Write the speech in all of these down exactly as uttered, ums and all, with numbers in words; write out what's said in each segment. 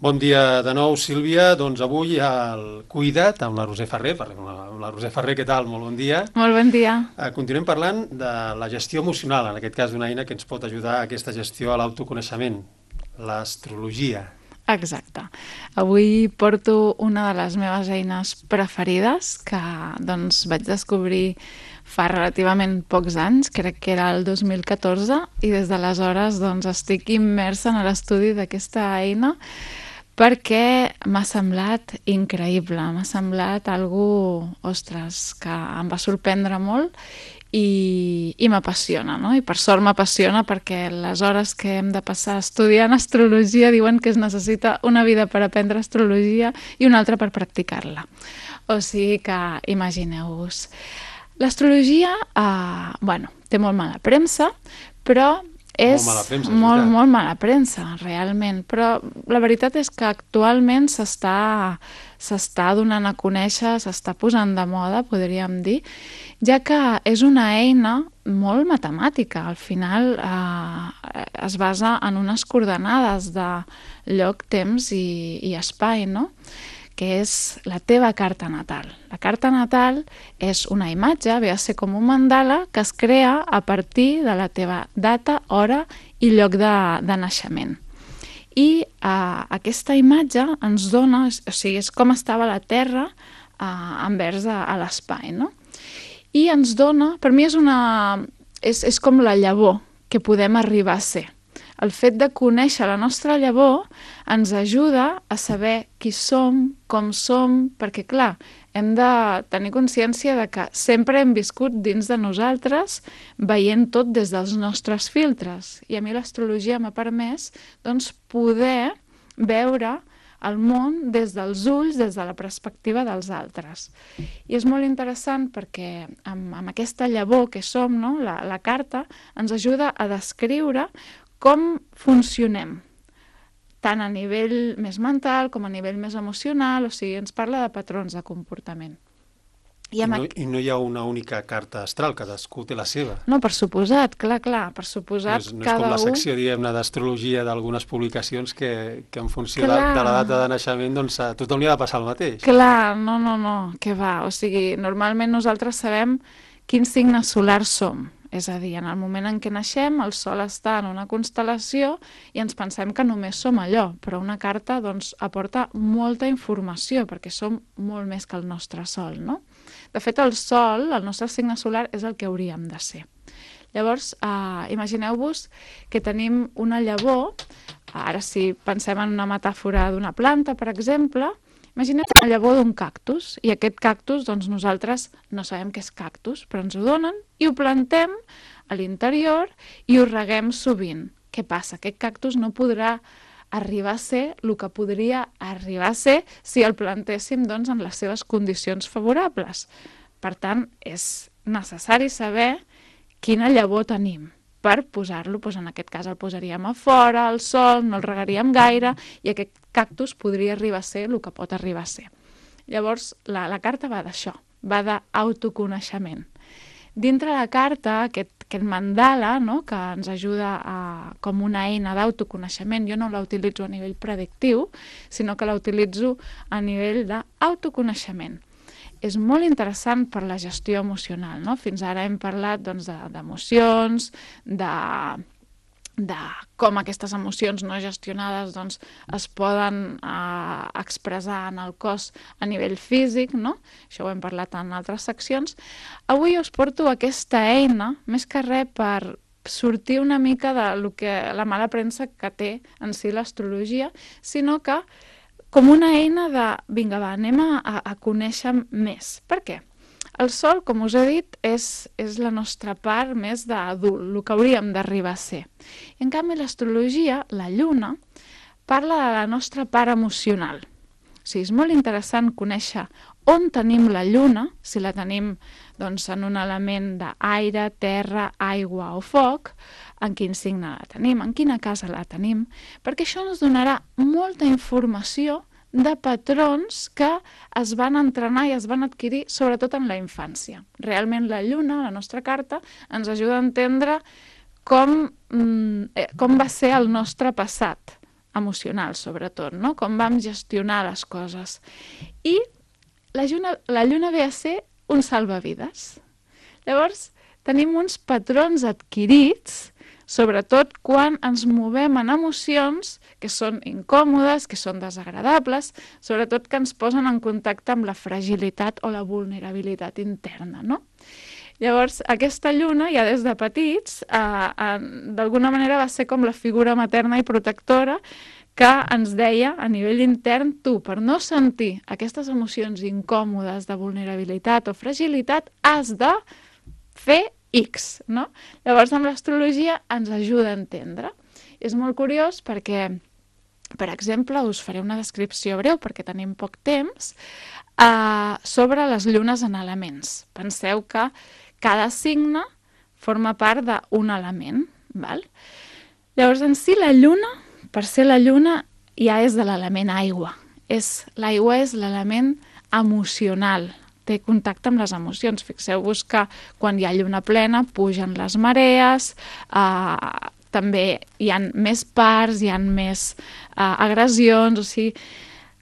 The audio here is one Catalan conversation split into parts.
Bon dia de nou, Sílvia. Doncs avui al Cuida't amb la Roser Ferrer. Parlem amb la Roser Ferrer, què tal? Molt bon dia. Molt bon dia. Eh, continuem parlant de la gestió emocional, en aquest cas d'una eina que ens pot ajudar a aquesta gestió a l'autoconeixement, l'astrologia. Exacte. Avui porto una de les meves eines preferides que doncs, vaig descobrir fa relativament pocs anys, crec que era el dos mil catorze, i des d'aleshores doncs, estic immersa en l'estudi d'aquesta eina perquè m'ha semblat increïble, m'ha semblat algú, ostres, que em va sorprendre molt i, i m'apassiona, no? I per sort m'apassiona perquè les hores que hem de passar estudiant astrologia diuen que es necessita una vida per aprendre astrologia i una altra per practicar-la. O sigui que imagineu-vos. L'astrologia, eh, bueno, té molt mala premsa, però és Molt mala premsa, és molt, veritat. molt mala premsa, realment. Però la veritat és que actualment s'està s'està donant a conèixer, s'està posant de moda, podríem dir, ja que és una eina molt matemàtica. Al final eh, es basa en unes coordenades de lloc, temps i, i espai, no?, que és la teva carta natal. La carta natal és una imatge, ve a ser com un mandala, que es crea a partir de la teva data, hora i lloc de, de naixement. I eh, aquesta imatge ens dona, o sigui, és com estava la Terra eh, envers a, a l'espai, no? I ens dona, per mi és una... és, és com la llavor que podem arribar a ser. El fet de conèixer la nostra llavor ens ajuda a saber qui som, com som, perquè, clar, hem de tenir consciència de que sempre hem viscut dins de nosaltres veient tot des dels nostres filtres. I a mi l'astrologia m'ha permès doncs, poder veure el món des dels ulls, des de la perspectiva dels altres. I és molt interessant perquè amb, amb aquesta llavor que som, no? la, la carta, ens ajuda a descriure com funcionem, tant a nivell més mental com a nivell més emocional, o sigui, ens parla de patrons de comportament. I, I, no, I no hi ha una única carta astral, cadascú té la seva. No, per suposat, clar, clar, per suposat, no és, no és cada com la un... secció, diguem-ne, d'astrologia d'algunes publicacions que, que en funció de, Clar. de la data de naixement, doncs a tothom li ha de passar el mateix. Clar, no, no, no, què va, o sigui, normalment nosaltres sabem quin signe solar som. És a dir, en el moment en què naixem, el Sol està en una constel·lació i ens pensem que només som allò, però una carta doncs, aporta molta informació perquè som molt més que el nostre Sol, no? De fet, el Sol, el nostre signe solar, és el que hauríem de ser. Llavors, eh, imagineu-vos que tenim una llavor, ara si pensem en una metàfora d'una planta, per exemple, imaginem la llavor d'un cactus, i aquest cactus, doncs nosaltres no sabem què és cactus, però ens ho donen i ho plantem a l'interior i ho reguem sovint. Què passa? Aquest cactus no podrà arribar a ser el que podria arribar a ser si el plantéssim doncs, en les seves condicions favorables. Per tant, és necessari saber quina llavor tenim per posar-lo, doncs en aquest cas el posaríem a fora, al sol, no el regaríem gaire, i aquest cactus podria arribar a ser el que pot arribar a ser. Llavors, la, la carta va d'això, va d'autoconeixement. Dintre la carta, aquest, aquest mandala, no?, que ens ajuda a, com una eina d'autoconeixement, jo no la utilitzo a nivell predictiu, sinó que la utilitzo a nivell d'autoconeixement. És molt interessant per la gestió emocional, no? Fins ara hem parlat doncs, d'emocions, de, de com aquestes emocions no gestionades doncs, es poden eh, expressar en el cos a nivell físic, no? Això ho hem parlat en altres seccions. Avui us porto aquesta eina, més que res per sortir una mica de lo que, la mala premsa que té en si l'astrologia, sinó que com una eina de, vinga, va, anem a, a conèixer més. Per què? El Sol, com us he dit, és, és la nostra part més d'adult, el que hauríem d'arribar a ser. I, en canvi, l'astrologia, la Lluna, parla de la nostra part emocional. O sigui, és molt interessant conèixer on tenim la Lluna, si la tenim doncs, en un element d'aire, terra, aigua o foc, en quin signe la tenim, en quina casa la tenim, perquè això ens donarà molta informació de patrons que es van entrenar i es van adquirir sobretot en la infància. Realment la Lluna, la nostra carta, ens ajuda a entendre com, com va ser el nostre passat emocional, sobretot, no? Com vam gestionar les coses. I la lluna, la lluna ve a ser un salvavides. Llavors, tenim uns patrons adquirits, sobretot quan ens movem en emocions que són incòmodes, que són desagradables, sobretot que ens posen en contacte amb la fragilitat o la vulnerabilitat interna, no? Llavors, aquesta lluna, ja des de petits, eh, eh, d'alguna manera va ser com la figura materna i protectora que ens deia a nivell intern, tu, per no sentir aquestes emocions incòmodes de vulnerabilitat o fragilitat, has de fer X, no? Llavors, amb l'astrologia ens ajuda a entendre. És molt curiós perquè, per exemple, us faré una descripció breu, perquè tenim poc temps, eh, sobre les llunes en elements. Penseu que cada signe forma part d'un element, val? Llavors, en si, la lluna, per ser la lluna, ja és de l'element aigua. És, l'aigua és l'element emocional, té contacte amb les emocions. Fixeu-vos que quan hi ha lluna plena pugen les marees, eh, també hi ha més parts, hi ha més eh, agressions, o sigui,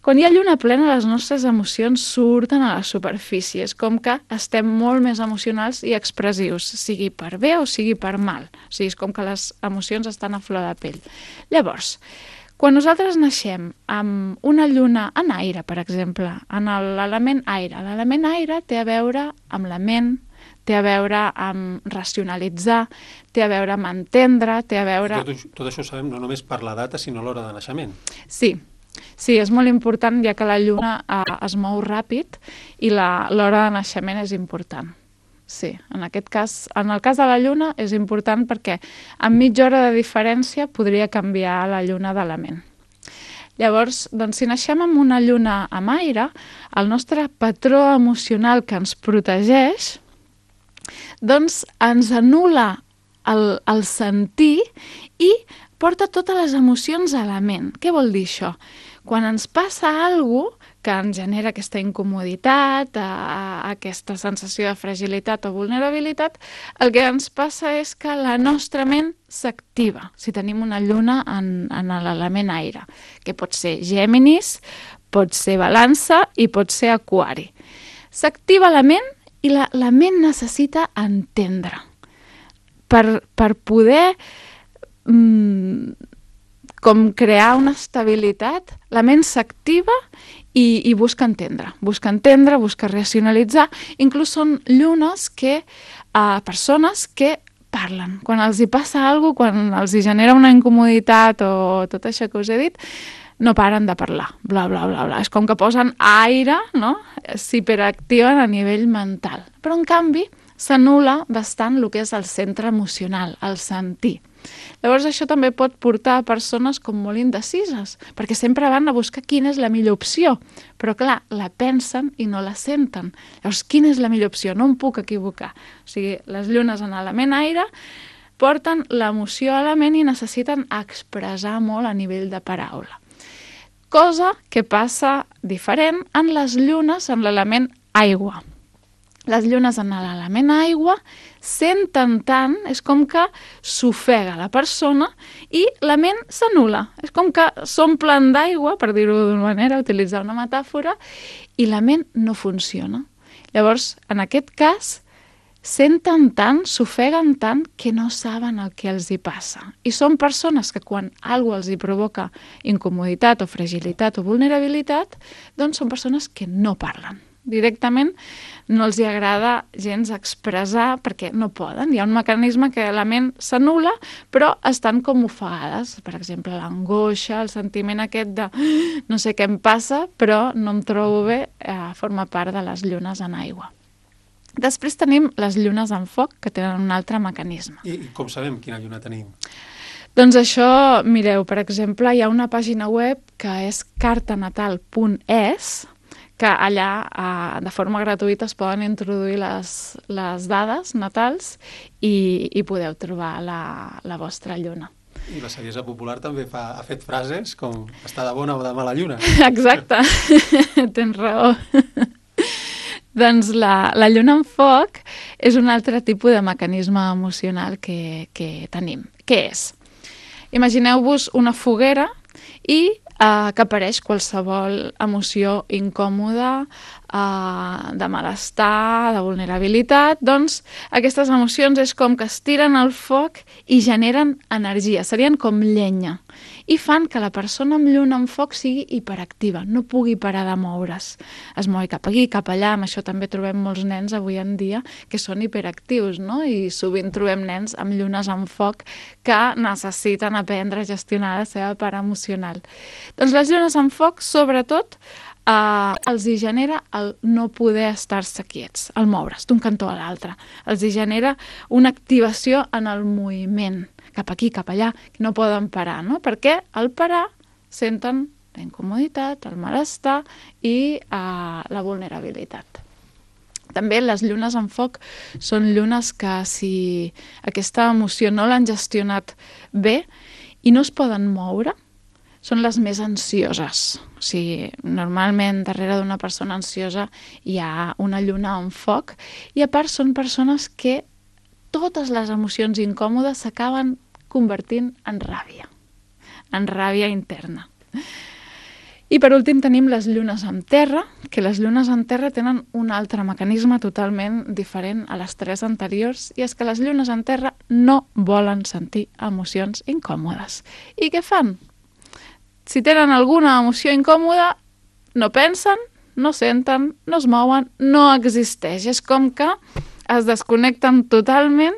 quan hi ha lluna plena les nostres emocions surten a la superfície, és com que estem molt més emocionals i expressius, sigui per bé o sigui per mal, o sigui, és com que les emocions estan a flor de pell. Llavors, quan nosaltres naixem amb una lluna en aire, per exemple, en l'element aire, l'element aire té a veure amb la ment, té a veure amb racionalitzar, té a veure amb entendre, té a veure... Tot, tot això ho sabem no només per la data, sinó l'hora de naixement. Sí, sí, és molt important, ja que la lluna eh, es mou ràpid i l'hora de naixement és important. Sí, en aquest cas, en el cas de la lluna és important perquè en mitja hora de diferència podria canviar la lluna d'element. Llavors, doncs, si naixem amb una lluna amb aire, el nostre patró emocional que ens protegeix, doncs ens anul·la el, el sentir i porta totes les emocions a la ment. Què vol dir això? Quan ens passa alguna cosa que ens genera aquesta incomoditat, a, a, aquesta sensació de fragilitat o vulnerabilitat, el que ens passa és que la nostra ment s'activa, si tenim una lluna en, en l'element aire, que pot ser Géminis, pot ser Balança i pot ser Aquari. S'activa la ment i la, la ment necessita entendre. Per, per poder mm, com crear una estabilitat, la ment s'activa i, i busca entendre, busca entendre, busca racionalitzar. Inclús són llunes que, eh, persones que parlen. Quan els hi passa alguna cosa, quan els hi genera una incomoditat o tot això que us he dit, no paren de parlar, bla, bla, bla, bla. És com que posen aire, no? S'hiperactiven a nivell mental. Però, en canvi, s'anul·la bastant el que és el centre emocional, el sentir. Llavors això també pot portar a persones com molt indecises, perquè sempre van a buscar quina és la millor opció, però clar, la pensen i no la senten. Llavors, quina és la millor opció? No em puc equivocar. O sigui, les llunes en element aire porten l'emoció a la ment i necessiten expressar molt a nivell de paraula. Cosa que passa diferent en les llunes en l'element aigua. Les llunes en l'element aigua senten tant, és com que s'ofega la persona i la ment s'anul·la. És com que s'omplen d'aigua, per dir-ho d'una manera, utilitzar una metàfora, i la ment no funciona. Llavors, en aquest cas, senten tant, s'ofeguen tant, que no saben el que els hi passa. I són persones que quan alguna cosa els hi provoca incomoditat o fragilitat o vulnerabilitat, doncs són persones que no parlen. Directament no els hi agrada gens expressar perquè no poden. Hi ha un mecanisme que la ment s'anul·la, però estan com ofegades. Per exemple, l'angoixa, el sentiment aquest de no sé què em passa, però no em trobo bé, eh, forma part de les llunes en aigua. Després tenim les llunes en foc, que tenen un altre mecanisme. I, i com sabem quina lluna tenim? Doncs això, mireu, per exemple, hi ha una pàgina web que és cartanatal punt es, que allà eh, de forma gratuïta es poden introduir les, les dades natals i, i podeu trobar la, la vostra lluna. I la saviesa popular també fa, ha fet frases com està de bona o de mala lluna. Exacte, tens raó. Doncs la, la lluna en foc és un altre tipus de mecanisme emocional que, que tenim. Què és? Imagineu-vos una foguera i eh, que apareix qualsevol emoció incòmoda, eh, de malestar, de vulnerabilitat. Doncs aquestes emocions és com que es tiren al foc i generen energia, serien com llenya, i fan que la persona amb lluna en foc sigui hiperactiva, no pugui parar de moure's. Es mou cap aquí, cap allà, amb això també trobem molts nens avui en dia que són hiperactius, no? I sovint trobem nens amb llunes en foc que necessiten aprendre a gestionar la seva part emocional. Doncs les llunes en foc, sobretot, eh, els hi genera el no poder estar-se quiets, el moure's d'un cantó a l'altre. Els hi genera una activació en el moviment, cap aquí, cap allà, que no poden parar, no? Perquè al parar senten la incomoditat, el malestar i eh, la vulnerabilitat. També les llunes en foc són llunes que si aquesta emoció no l'han gestionat bé i no es poden moure, són les més ansioses. O sigui, normalment darrere d'una persona ansiosa hi ha una lluna en foc i a part són persones que totes les emocions incòmodes s'acaben convertint en ràbia, en ràbia interna. I per últim tenim les llunes en terra, que les llunes en terra tenen un altre mecanisme totalment diferent a les tres anteriors, i és que les llunes en terra no volen sentir emocions incòmodes. I què fan? Si tenen alguna emoció incòmoda, no pensen, no senten, no es mouen, no existeix. És com que es desconnecten totalment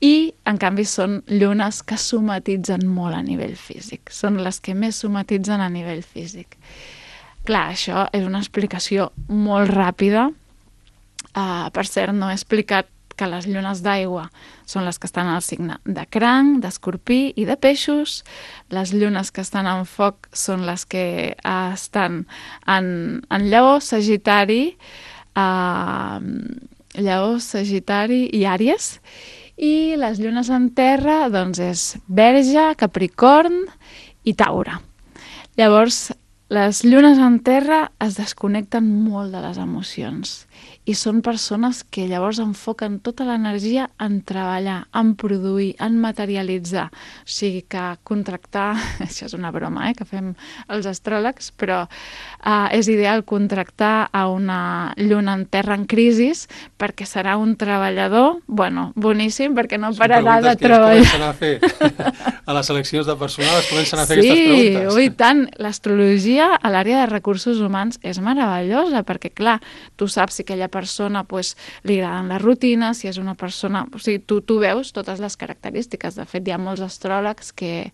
i, en canvi, són llunes que somatitzen molt a nivell físic. Són les que més somatitzen a nivell físic. Clar, això és una explicació molt ràpida. Uh, per cert, no he explicat que les llunes d'aigua són les que estan al signe de cranc, d'escorpí i de peixos. Les llunes que estan en foc són les que uh, estan en, en lleó, sagitari, uh, lleó, sagitari i àries. I les llunes en terra, doncs, és Verge, Capricorn i Taure. Llavors, les llunes en terra es desconnecten molt de les emocions i són persones que llavors enfoquen tota l'energia en treballar, en produir, en materialitzar. O sigui que contractar, això és una broma, eh, que fem els astròlegs, però eh, és ideal contractar a una lluna en terra en crisis perquè serà un treballador, bueno, boníssim, perquè no Són pararà de preguntes que treballar. es comencen a fer a les seleccions de personal, es comencen a fer Sí, aquestes preguntes. ui, tant. L'astrologia a l'àrea de recursos humans és meravellosa perquè, clar, tu saps si aquella persona pues, li agraden les rutines, si és una persona... O sigui, tu, tu veus totes les característiques. De fet, hi ha molts astròlegs que,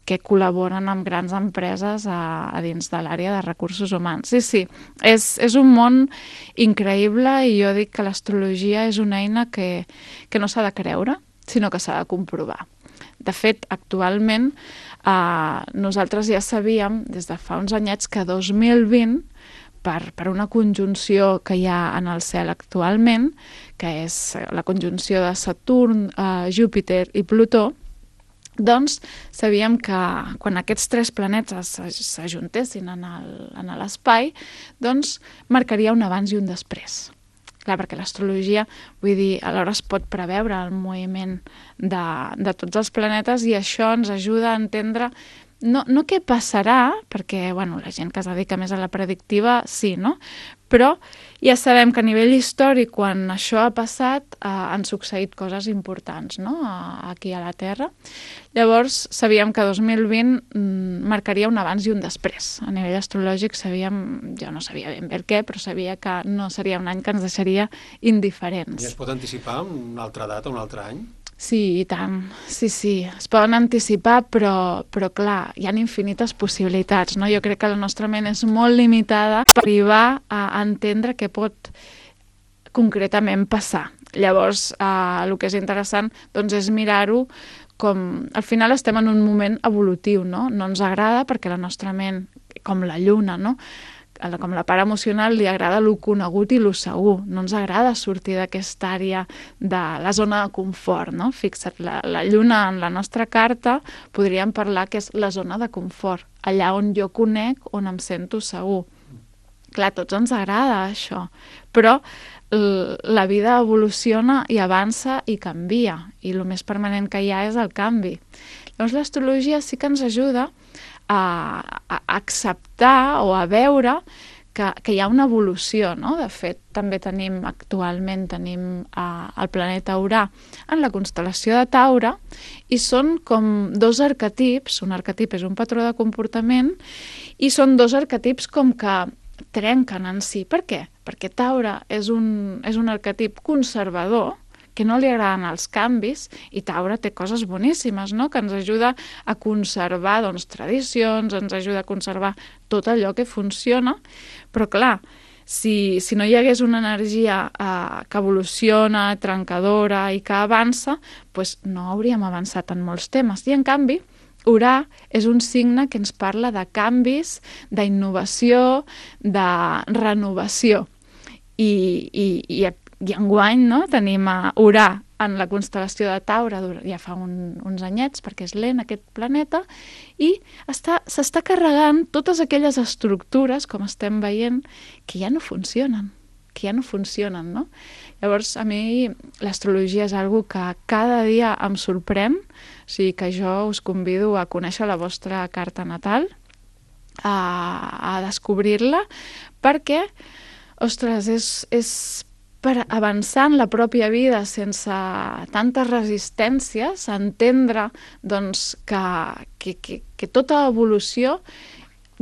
que col·laboren amb grans empreses a, a dins de l'àrea de recursos humans. Sí, sí, és, és un món increïble i jo dic que l'astrologia és una eina que, que no s'ha de creure, sinó que s'ha de comprovar. De fet, actualment, eh, nosaltres ja sabíem, des de fa uns anyets, que dos mil vint, per, per una conjunció que hi ha en el cel actualment, que és la conjunció de Saturn, eh, Júpiter i Plutó, doncs sabíem que quan aquests tres planetes s'ajuntessin en l'espai, doncs marcaria un abans i un després. Clar, perquè l'astrologia, vull dir, alhora es pot preveure el moviment de, de tots els planetes i això ens ajuda a entendre no, no què passarà, perquè bueno, la gent que es dedica més a la predictiva sí, no? Però ja sabem que a nivell històric, quan això ha passat, eh, han succeït coses importants, no? Aquí a la Terra. Llavors, sabíem que dos mil vint mm, marcaria un abans i un després. A nivell astrològic sabíem, jo no sabia ben bé el què, però sabia que no seria un any que ens deixaria indiferents. I es pot anticipar una altra data, un altre any? Sí, i tant. Sí, sí. Es poden anticipar, però, però clar, hi ha infinites possibilitats, no? Jo crec que la nostra ment és molt limitada per arribar a entendre què pot concretament passar. Llavors, eh, el que és interessant doncs, és mirar-ho com... Al final estem en un moment evolutiu, no? No ens agrada perquè la nostra ment, com la lluna, no? Com la part emocional, li agrada lo conegut i lo segur. No ens agrada sortir d'aquesta àrea de la zona de confort, no? Fixa't, la, la lluna en la nostra carta podríem parlar que és la zona de confort, allà on jo conec, on em sento segur. Clar, a tots ens agrada això, però la vida evoluciona i avança i canvia, i el més permanent que hi ha és el canvi. Llavors l'astrologia sí que ens ajuda a, a acceptar o a veure que, que hi ha una evolució, no? De fet, també tenim, actualment tenim eh, el planeta Urà en la constel·lació de Taure, i són com dos arquetips, un arquetip és un patró de comportament, i són dos arquetips com que trenquen en si. Per què? Perquè Taure és un, és un arquetip conservador, que no li agraden els canvis, i Taure té coses boníssimes, no? Que ens ajuda a conservar doncs, tradicions, ens ajuda a conservar tot allò que funciona, però clar, si, si no hi hagués una energia eh, que evoluciona, trencadora i que avança, doncs no hauríem avançat en molts temes. I en canvi, Urà és un signe que ens parla de canvis, d'innovació, de renovació. I, i, i I enguany, no, tenim a Urà en la constel·lació de Taure ja fa un, uns anyets, perquè és lent aquest planeta, i s'està carregant totes aquelles estructures, com estem veient, que ja no funcionen, que ja no funcionen, no? Llavors, a mi l'astrologia és algo que cada dia em sorprèn, o sigui que jo us convido a conèixer la vostra carta natal, a, a descobrir-la, perquè, ostres, és... és per avançar en la pròpia vida sense tantes resistències, entendre doncs, que, que, que, que tota evolució,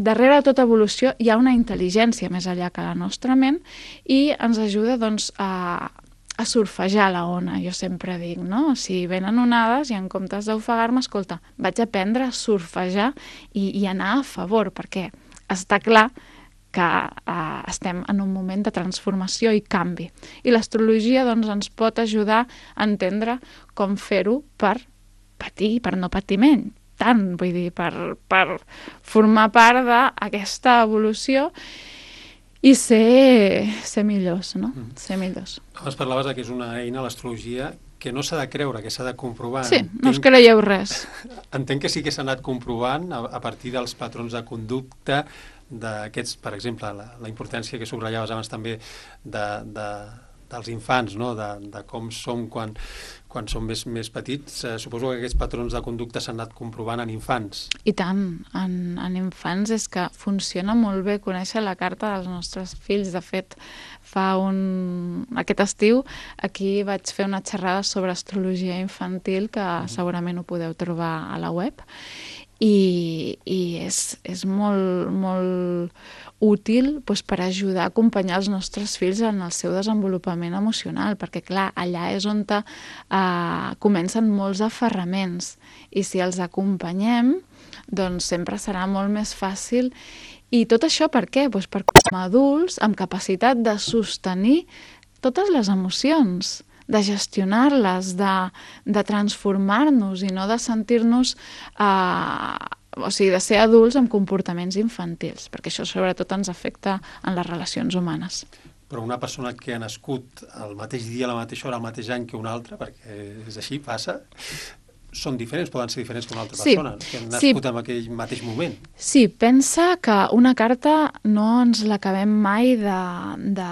darrere de tota evolució hi ha una intel·ligència més enllà que la nostra ment, i ens ajuda doncs, a, a surfejar la ona, jo sempre dic, no? Si venen onades i en comptes d'ofegar-me, escolta, vaig aprendre a surfejar i, i anar a favor, perquè està clar que eh, estem en un moment de transformació i canvi. I l'astrologia doncs, ens pot ajudar a entendre com fer-ho per patir, per no patir menys, tant, vull dir, per, per formar part d'aquesta evolució i ser, ser millors, no? Mm. Ser millors. Abans parlaves que és una eina, l'astrologia, que no s'ha de creure, que s'ha de comprovar. Sí, Entenc... no us creieu res. Entenc que sí que s'ha anat comprovant a, a partir dels patrons de conducta d'aquests, per exemple, la, la importància que subratllaves abans també de, de, dels infants, no? de, de com som quan, quan som més, més petits. Eh, suposo que aquests patrons de conducta s'han anat comprovant en infants. I tant, en, en infants és que funciona molt bé conèixer la carta dels nostres fills. De fet, fa un... aquest estiu aquí vaig fer una xerrada sobre astrologia infantil que mm. segurament ho podeu trobar a la web. I, i és, és molt, molt útil doncs, per ajudar a acompanyar els nostres fills en el seu desenvolupament emocional, perquè clar, allà és on eh, comencen molts aferraments, i si els acompanyem doncs sempre serà molt més fàcil. I tot això per què? Doncs perquè som adults amb capacitat de sostenir totes les emocions, de gestionar-les, de, de transformar-nos i no de sentir-nos, eh, o sigui, de ser adults amb comportaments infantils, perquè això sobretot ens afecta en les relacions humanes. Però una persona que ha nascut el mateix dia, a la mateixa hora, el mateix any que una altra, perquè és així, passa, són diferents, poden ser diferents que una altra sí, persona, que han nascut sí. en aquell mateix moment. Sí, pensa que una carta no ens l'acabem mai de, de,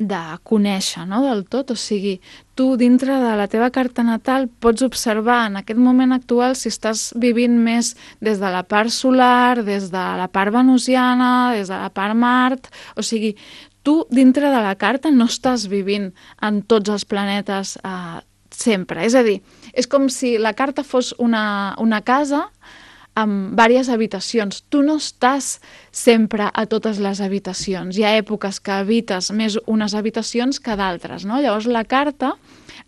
de conèixer, no?, del tot. O sigui, tu dintre de la teva carta natal pots observar en aquest moment actual si estàs vivint més des de la part solar, des de la part venusiana, des de la part Mart. O sigui, tu dintre de la carta no estàs vivint en tots els planetes eh, sempre. És a dir, és com si la carta fos una, una casa amb diverses habitacions. Tu no estàs sempre a totes les habitacions. Hi ha èpoques que habites més unes habitacions que d'altres, no? Llavors la carta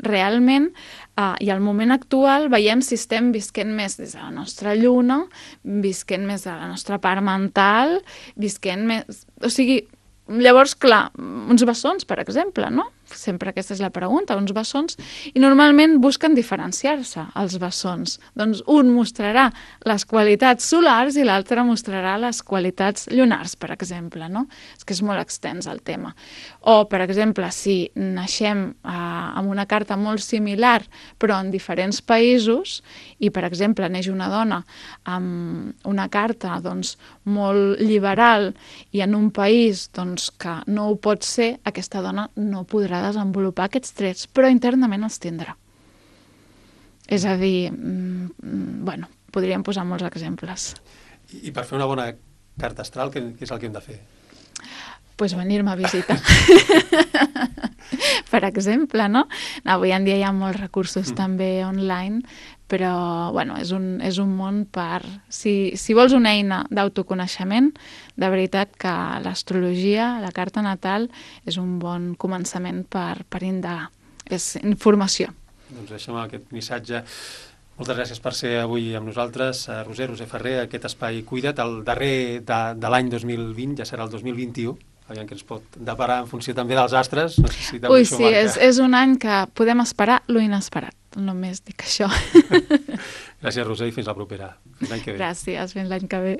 realment, eh, i al moment actual veiem si estem visquent més des de la nostra lluna, visquent més de la nostra part mental, visquent més... O sigui, llavors, clar, uns bessons, per exemple, no? Sempre aquesta és la pregunta, uns bessons, i normalment busquen diferenciar-se, els bessons. Doncs un mostrarà les qualitats solars i l'altre mostrarà les qualitats lunars, per exemple, no? És que és molt extens el tema. O, per exemple, si naixem eh, amb una carta molt similar, però en diferents països, i, per exemple, neix una dona amb una carta doncs, molt liberal i en un país doncs, que no ho pot ser, aquesta dona no podrà desenvolupar aquests trets, però internament els tindrà. És a dir, mm, bueno, podríem posar molts exemples. I, i per fer una bona carta astral, què, què és el que hem de fer? Pues venir-me a visitar. Per exemple, no? Avui en dia hi ha molts recursos mm. també online, però bueno, és, un, és un món per... Si, si vols una eina d'autoconeixement, de veritat que l'astrologia, la carta natal, és un bon començament per, per indagar. És informació. Doncs deixem aquest missatge. Moltes gràcies per ser avui amb nosaltres. Roser, Roser Ferrer, aquest espai Cuida't, el darrer de, de l'any dos mil vint, ja serà el dos mil vint-i-u. Aviam que ens pot deparar en funció també dels astres. No sé si també Ui, això sí, marca... és, és un any que podem esperar lo inesperat. Només dic això. Gràcies, Roser, i fins la propera. Fins l'any que ve. Gràcies, fins l'any que ve.